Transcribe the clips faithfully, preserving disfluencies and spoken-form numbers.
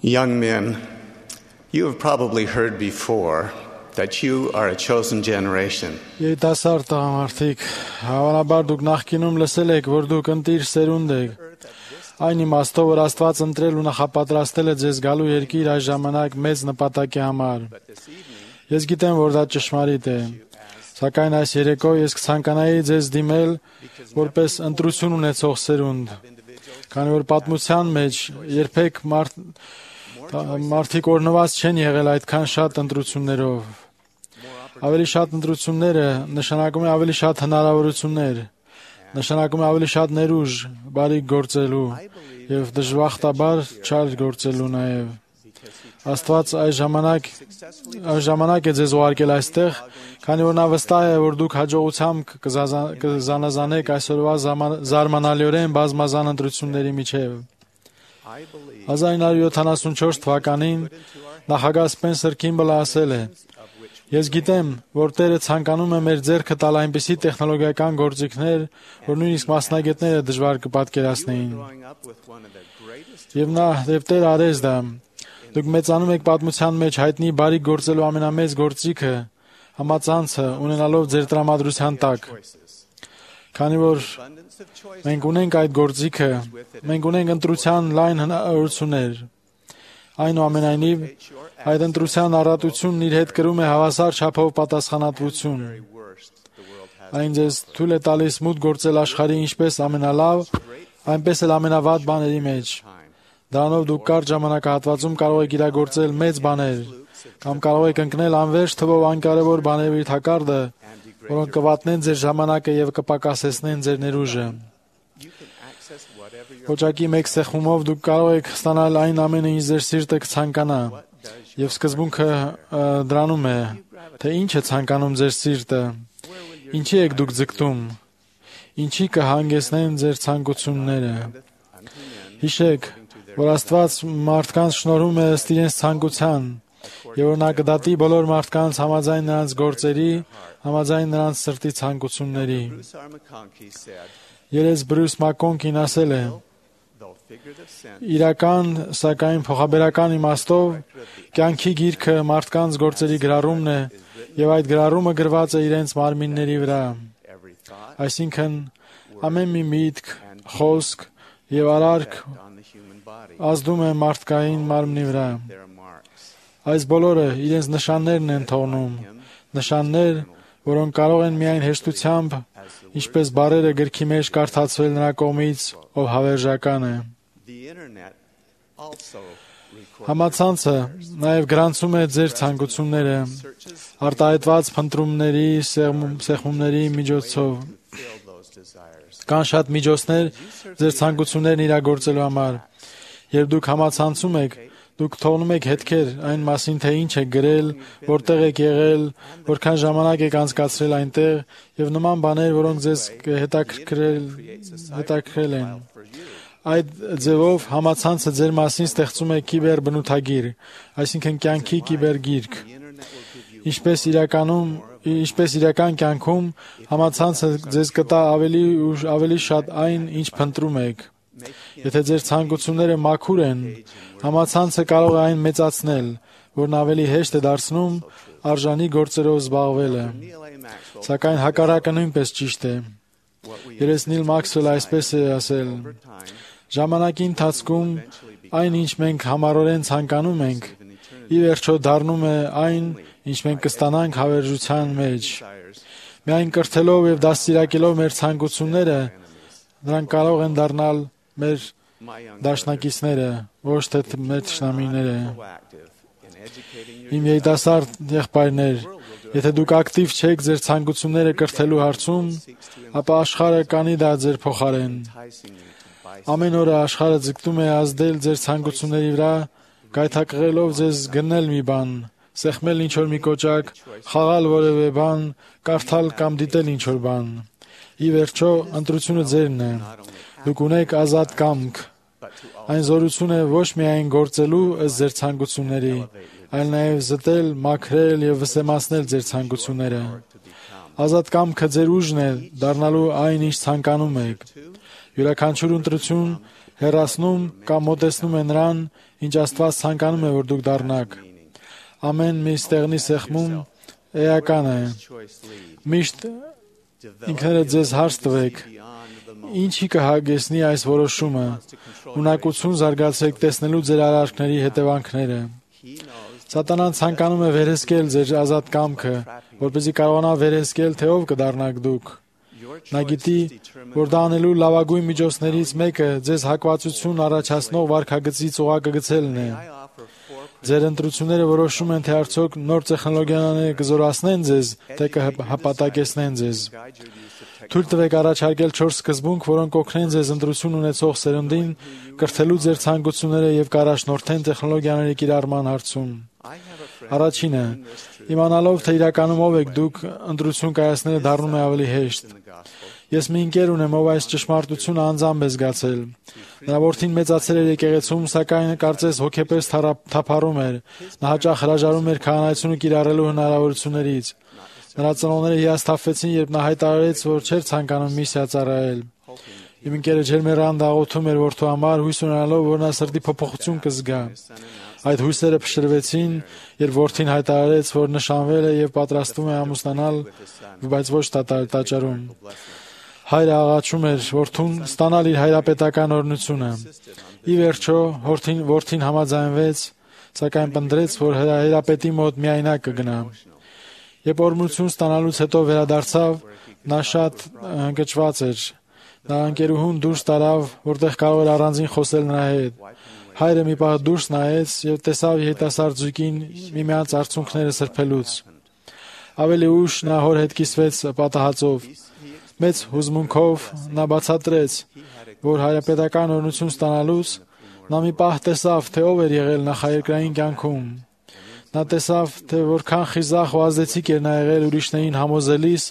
Young men, you have probably heard before that you are a chosen generation. Երիտասարդ տղամարդիկ, հավանաբար դուք նախկինում լսել եք, որ դուք ընտիր սերունդ եք։ Այն իմաստով, որ Աստված ընտրել ու նախապատրաստել է ձեզ գալու երկիր այս ժամանակ մեծ նպատակի համար։ Ես գիտեմ, որ դա ճշմարիտ է, սակայն այս երեկո ես կցանկանայի ձեզ դիմել որպես ընտրություն ունեցող սերունդ, քանի որ պատմության մեջ երբեք մարդ, մարդիկ օրհնված չեն եղել այդքան շատ ընտրություններով։ Ավելի շատ ընտրությունները նշանակում է ավելի շատ հնարավորություններ, նշանակում է ավելի շատ ներուժ, բարիք գործելու եւ դժբախտաբար չար գործելու նաեւ։ Աստված այս ժամանակ այս ժամանակ է ձեզ ուղարկել այստեղ, քանի որ նա վստահ է, որ դուք հաջողությամբ կզանազանեք այսօրվա զարմանալիորեն բազմազան ընտրությունների միջև։ հազար ինը հարյուր յոթանասունչորս թվականին նախագահ Սպենսեր Քիմբլը ասել է. Ես գիտեմ, որ Տերը ցանկանում է մեր ձեռքը տալ այնպիսի տեխնոլոգիական գործիքներ, որ նույնիսկ մասնագետները դժվար կպատկերացնեին։ Եվ նա եւ Տերը արեց դա։ Դուք մեծանում եք պատմության մեջ հայտնի բարիք գործելու ամենամեծ գործիքը, համացանցը ունենալով ձեր տրամադրության տակ։ Քանի որ մենք ունենք այդ գործիքը, մենք ունենք ընտրության լայն հնարավորություններ։ Այնուամենայնիվ, այդ ընտրության առատությունն իր հետ կրում է հավասար չափով պատասխանատվություն։ Այն ձեզ թույլ է տալիս մուտք գործել աշխարհի ինչպես ամենալավ, այնպես էլ ամենավատ բաների մեջ։ Դրանով դուք կարճ ժամանակահատվածում կարող եք իրագործել մեծ բաներ, կամ կարող եք ընկնել անվերջ թվով անկարևոր բաների թակարդը, որոնք կվատնեն ձեր ժամանակը եւ կպակասեցնեն ձեր ներուժը։ Ոչակի մեկ սեղմումով դուք կարող եք ստանալ այն ամենը, ինչ ձեր սիրտը կցանկանա, եւ սկզբունքը դրանում է, թե ինչ է ցանկանում ձեր սիրտը, ինչի եք դուք ձգտում, ինչի կհանգեցնեն ձեր ցանկությունները։ Հիշեք, որ Աստված մարդկանց շնորհում է ըստ իրենց ցանկության, եւ որ նա կդատի բոլոր մարդկանց համաձայն նրանց գործերի, համաձայն նրանց սրտի ցանկությունների։ Երես Բրյուս Մակկոնքին ասել է. Իրական, սակայն փոխաբերական իմաստով կյանքի գիրքը մարդկանց գործերի գրառումն է, եւ այդ գրառումը գրված է իրենց մարմինների վրա։ Այսինքն, ամեն մի միտք, խոսք եւ արարք ազդում է մարդկային մարմնի վրա։ Այս բոլորը իրենց նշաններն են թողնում, նշաններ, որոնք կարող են միայն հեշտությամբ, ինչպես բառերը գրքի մեջ կարդացվել նրա կողմից, ով հավերժական է։ Համացանցը նաև գրանցում է ձեր ցանկությունները արտահայտված փնտրումների, սեղմումների միջոցով։ Կան շատ միջոցներ ձեր ցանկություններն իրագործելու համար։ Երբ դուք համացանցում եք, դուք թողնում եք հետքեր այն մասին, թե ինչ եք գրել, որտեղ եք եղել, որքան ժամանակ եք անցկացրել այնտեղ եւ նման բաներ, որոնք ձեզ հետաքրքրել, հետաքրքրել են։ Այդ ձևով համացանցը ձեր մասին ստեղծում է կիբերբնութագիր, այսինքն կյանքի կիբերգիրք։ Ինչպես իրականում, ինչպես իրական կյանքում համացանցը ձեզ կտա ավելի ու ավելի շատ այն, ինչ փնտրում եք։ Եթե ձեր ցանկությունները մաքուր են, համացանցը կարող է այն մեծացնել, որն ավելի հեշտ է դարձնում արժանի գործերով զբաղվելը։ Սակայն հակառակը նույնպես ճիշտ է։ Երես Նիլ Մաքսվելը այսպես է ասել. Ժամանակի ընթացքում այն, ինչ մենք համառորեն ցանկանում ենք, ի վերջո դառնում է այն, ինչ մենք կստանանք հավերժության մեջ։ Միայն կրթելով եւ դաստիարակելով մեր ցանկությունները, նրանք կարող են դառնալ մեր դաշնակիցները, ոչ թե մեր թշնամիները։ Իմ երիտասարդ եղբայրներ, եթե դուք ակտիվ չեք ձեր ցանկությունները կրթելու հարցում, ապա աշխարհը կանի դա ձեր փոխարեն։ Ամեն օր աշխարհը ձգտում է ազդել ձեր ցանկությունների վրա, գայթակղելով ձեզ գնել մի բան, սեղմել ինչ-որ մի կոճակ, խաղալ որևէ բան, կարդալ կամ դիտել ինչ-որ բան։ Ի վերջո, ընտրությունը ձերն է։ Դուք ունեք ազատ կամք։ Այն զորություն է ոչ միայն գործելու ըստ ձեր ցանկությունների, այլ նաև զտել, մաքրել եւ վսեմացնել ձեր ցանկությունները։ Ազատ կամքը ձեր ուժն է դառնալու այն, ինչ ցանկանում եք։ Յուրաքանչյուր ընտրություն հեռացնում կամ մոտեցնում է նրան, ինչ Աստված ցանկանում է, որ դուք դառնաք։ Ամեն մի ստեղնի սեղմում էական է։ Միշտ ինքներդ ձեզ հարց տվեք. ինչի կհագեցնի այս որոշումը։ Ունակություն զարգացեք տեսնելու ձեր արարքների հետևանքները։ Սատանան ցանկանում է վերահսկել ձեր ազատ կամքը, որպեսզի կարողանա վերահսկել, թե ով կդառնաք դուք։ Նա գիտի, որ դա անելու լավագույն միջոցներից մեկը ձեզ հակվածություն առաջացնող վարքագծից օղակը գցելն է։ Ձեր ընտրությունները որոշում են, թե արդյոք նոր տեխնոլոգիաները կզորացնեն ձեզ, թե կհպատակեցնեն ձեզ։ Թույլ տվեք առաջարկել չորս սկզբունք, որոնք կօգնեն ձեզ ընտրություն ունեցող սերունդին կրթելու ձեր ցանկությունները եւ կառաջնորդեն տեխնոլոգիաների կիրառման հարցում։ Առաջինը, իմանալով, թե իրականում ով եք դուք, ընտրություն կայացնելը դառնում է ավելի հեշտ։ Ես մի ընկեր ունեմ, ով այս ճշմարտությունը անձամբ է զգացել։ Նրա որդին մեծացել էր եկեղեցում, սակայն կարծես հոգեպես թափառում էր։ Նա հաճախ հրաժարվում էր քահանայությունը կիրառելու հնարավորություններից։ Նրա ծնողները հիասթափվեցին, երբ նա հայտարարեց, որ չէր ցանկանում միսիա ծառայել։ Իմ ընկերը ջերմեռան դաղոթում էր որդու համար, հույս ունենալով, որ նա սրտի փոփոխություն կզգա։ Այդ հույսերը փշրվեցին, երբ որդին հայտարարեց, որ նշանվել է եւ պատրաստվում է ամուսնանալ, բայց ոչ տաճարում։ Հայրը աղաչում էր որդուն ստանալ իր հայրապետական օրհնությունը։ Ի վերջո, որդին համաձայնվեց, սակայն պնդրեց, որ հայրապետի մոտ միայնակ կգնա։ Երբ օրհնություն ստանալուց հետո վերադարձավ, նա շատ ընկճված էր։ Նա ընկերուհուն դուրս տարավ, որտեղ կարող էր առանձին խոսել նրա հետ։ Հայրը մի պահ դուրս նայեց եւ տեսավ երիտասարդ զույգին միմյանց արցունքները սրբելուց։ Ավելի ուշ նա հոր հետ կիսվեց պատահածով։ Մեծ հուզմունքով նա բացատրեց, որ հայրապետական օրհնություն ստանալուց նա մի պահ տեսավ, թե ով էր եղել նախաերկրային կյանքում։ Նա տեսավ, թե որքան խիզախ ու ազդեցիկ էր նա եղել ուրիշներին համոզելիս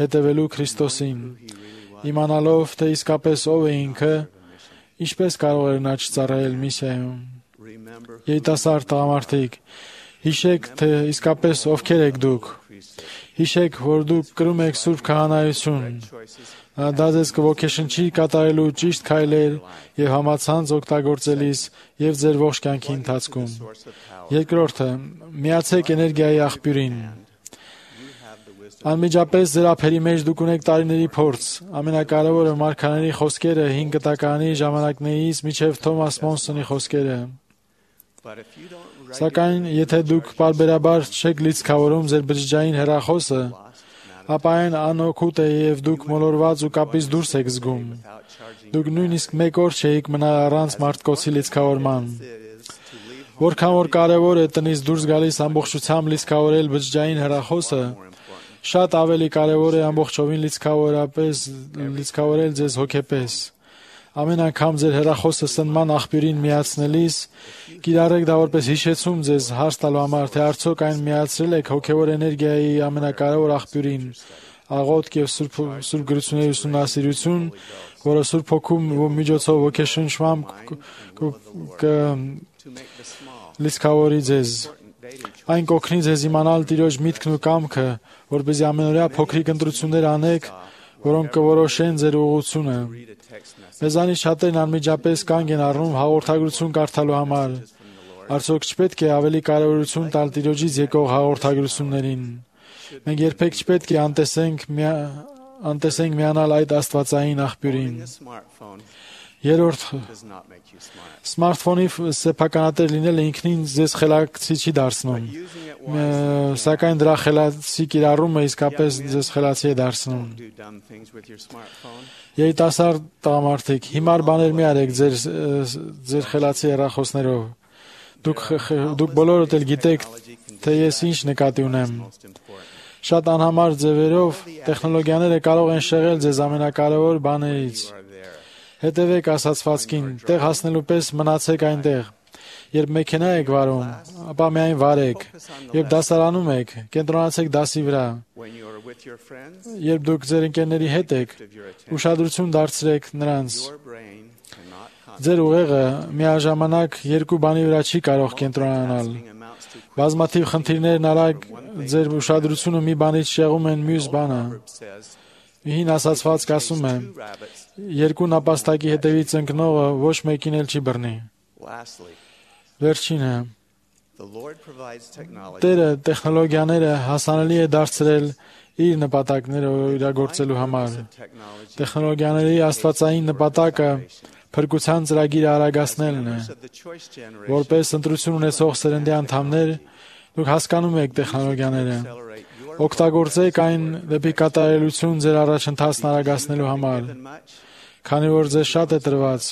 հետևելու Քրիստոսին։ Իմանալով, թե իսկապես ով է ինքը, ինչպես կարող էր նա չծառայել միսիայում։ Երիտասարդ տղամարդիկ, հիշեք, թե իսկապես ովքեր եք դուք։ Հիշեք, որ դուք կրում եք սուրբ քահանայություն։ Դա ձեզ կոգեշնչի կատարելու ճիշտ քայլեր եւ համացանց օգտագործելիս եւ ձեր ողջ կյանքի ընթացքում։ Երկրորդը, միացեք էներգիայի աղբյուրին։ Անմիջապես ձեր ափերի մեջ դուք ունեք տարիների փորձ։ Ամենակարևորը մարգարեների խոսքերը հինգ կտականի ժամանակներից մինչև Թոմաս Մոնսոնի խոսքերը։ Սակայն, եթե դուք պարբերաբար չեք լիցքավորում ձեր բջջային հեռախոսը, ապա այն անօգուտ է եւ դուք մոլորված ու կապից դուրս եք զգում։ Դուք նույնիսկ մեկ օր չէիք մնալ առանց մարտկոցի լիցքավորման։ Որքան որ կարևոր է տնից դուրս գալիս ամբողջությամբ լիցքավորել բջջային հեռախոսը, շատ ավելի կարևոր է ամբողջովին լիցքավորապես լիցքավորել ձեզ հոգեպես։ Ամեն անգամ ձեր հեռախոսը սնման աղբյուրին միացնելիս կիրառեք դա որպես հիշեցում ձեզ հարց տալու համար, թե արդյոք այն միացրել եք հոգևոր էներգիայի ամենակարևոր աղբյուրին, աղոթք եւ սուրբ գրությունների ուսումնասիրություն, որը Սուրբ Հոգու միջոցով ոգեշնչմամբ կլիցքավորի ձեզ։ Այն կօգնի ձեզ իմանալ Տիրոջ միտքն ու կամքը, որպեսզի ամենօրյա փոքրիկ ընտրություններ անեք, որոնք կորոշեն ձեր ուղղությունը։ Մեզանից շատերն անմիջապես կանգ են առնում հաղորդագրություն կարդալու համար։ Արդյոք չպետք է ավելի կարևորություն տալ Տիրոջից եկող հաղորդագրություններին։ Մենք երբեք չպետք է անտեսենք անտեսենք միանալ այդ աստվածային աղբյուրին։ Երրորդ, սմարթֆոնի սեփականատեր լինելը ինքնին ձեզ խելացի չի դարձնում, սակայն դրա խելացի կիրառումը իսկապես ձեզ խելացի է դարձնում։ Երիտասարդ տղամարդիկ, հիմար բաներ մի արեք ձեր ձեր խելացի հեռախոսներով։ Դուք դուք բոլորդ էլ գիտեք, թե ես ինչ նկատի ունեմ։ Շատ անհամար ձևերով տեխնոլոգիաները կարող են շեղել ձեզ ամենակարևոր բաներից։ Հետևեք ասացվածքին, տեղ հասնելու պես մնացեք այնտեղ։ Երբ մեքենա եք վարում, ապա միայն վարեք։ Երբ դասարանում եք, կենտրոնացեք դասի վրա։ Երբ դուք ձեր ընկերների հետ եք, ուշադրություն դարձրեք նրանց։ Ձեր ուղեղը միաժամանակ երկու բանի վրա չի կարող կենտրոնանալ։ Բազմաթիվ խնդիրներն արագ ձեր ուշադրությունը մի բանից շեղում են մյուս բանը։ Հին ասացվածք ասում է. երկու նապաստակի հետևից ընկնողը ոչ մեկին էլ չի բռնի։ Lastly, Վերջինը, the Lord provides technology Տերը տեխնոլոգիաները հասանելի է դարձրել իր նպատակները իրագործելու համար։ Տեխնոլոգիաների աստվածային նպատակը փրկության ծրագիրը արագացնելն է։ of the choice generation. Որպես ընտրություն ունեցող սերնդի անդամներ, դուք հասկանում եք տեխնոլոգիաները։ Accelerate your Օգտագործեք այն դեպի կատարելություն ձեր առաջընթացն արագացնելու համար։ given much. Քանի որ ձեզ շատ է տրված,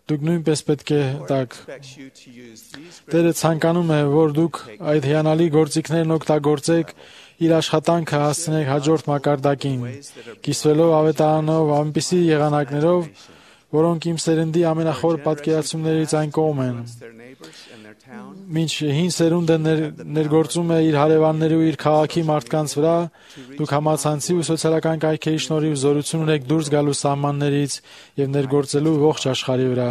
դուք նույնպես պետք է տաք։ Expects you to use these Տերը ցանկանում է, որ դուք այդ հիանալի գործիքներն օգտագործեք, իր աշխատանքը հասցնեք հաջորդ մակարդակին, կիսվելով ավետարանով այնպիսի եղանակներով, որոնք իմ սերնդի ամենախոր պատկերացումներից այն կողմ են։ their neighbors and their town. Մինչ հին սերունդը ներ, ներգործում է իր հարևանների ու իր քաղաքի մարդկանց վրա, դուք համացանցի ու սոցիալական կայքերի շնորհիվ զորություն ունեք դուրս գալու սահմաններից եւ ներգործելու ողջ աշխարհի վրա։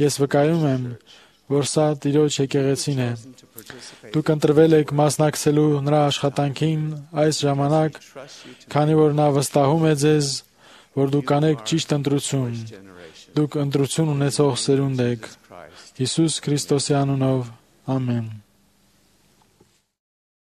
Ես վկայում եմ, որ սա Տիրոջ եկեղեցին է։ To participate, Դուք ընտրվել եք մասնակցելու նրա աշխատանքին այս ժամանակ, trust you to քանի որ նա վստահում է ձեզ, որ դուք կանեք ճիշտ ընտրություն։ generation. Դուք ընտրություն ունեցող սերունդ եք։ Christ. Հիսուս Քրիստոսի անունով, ամեն։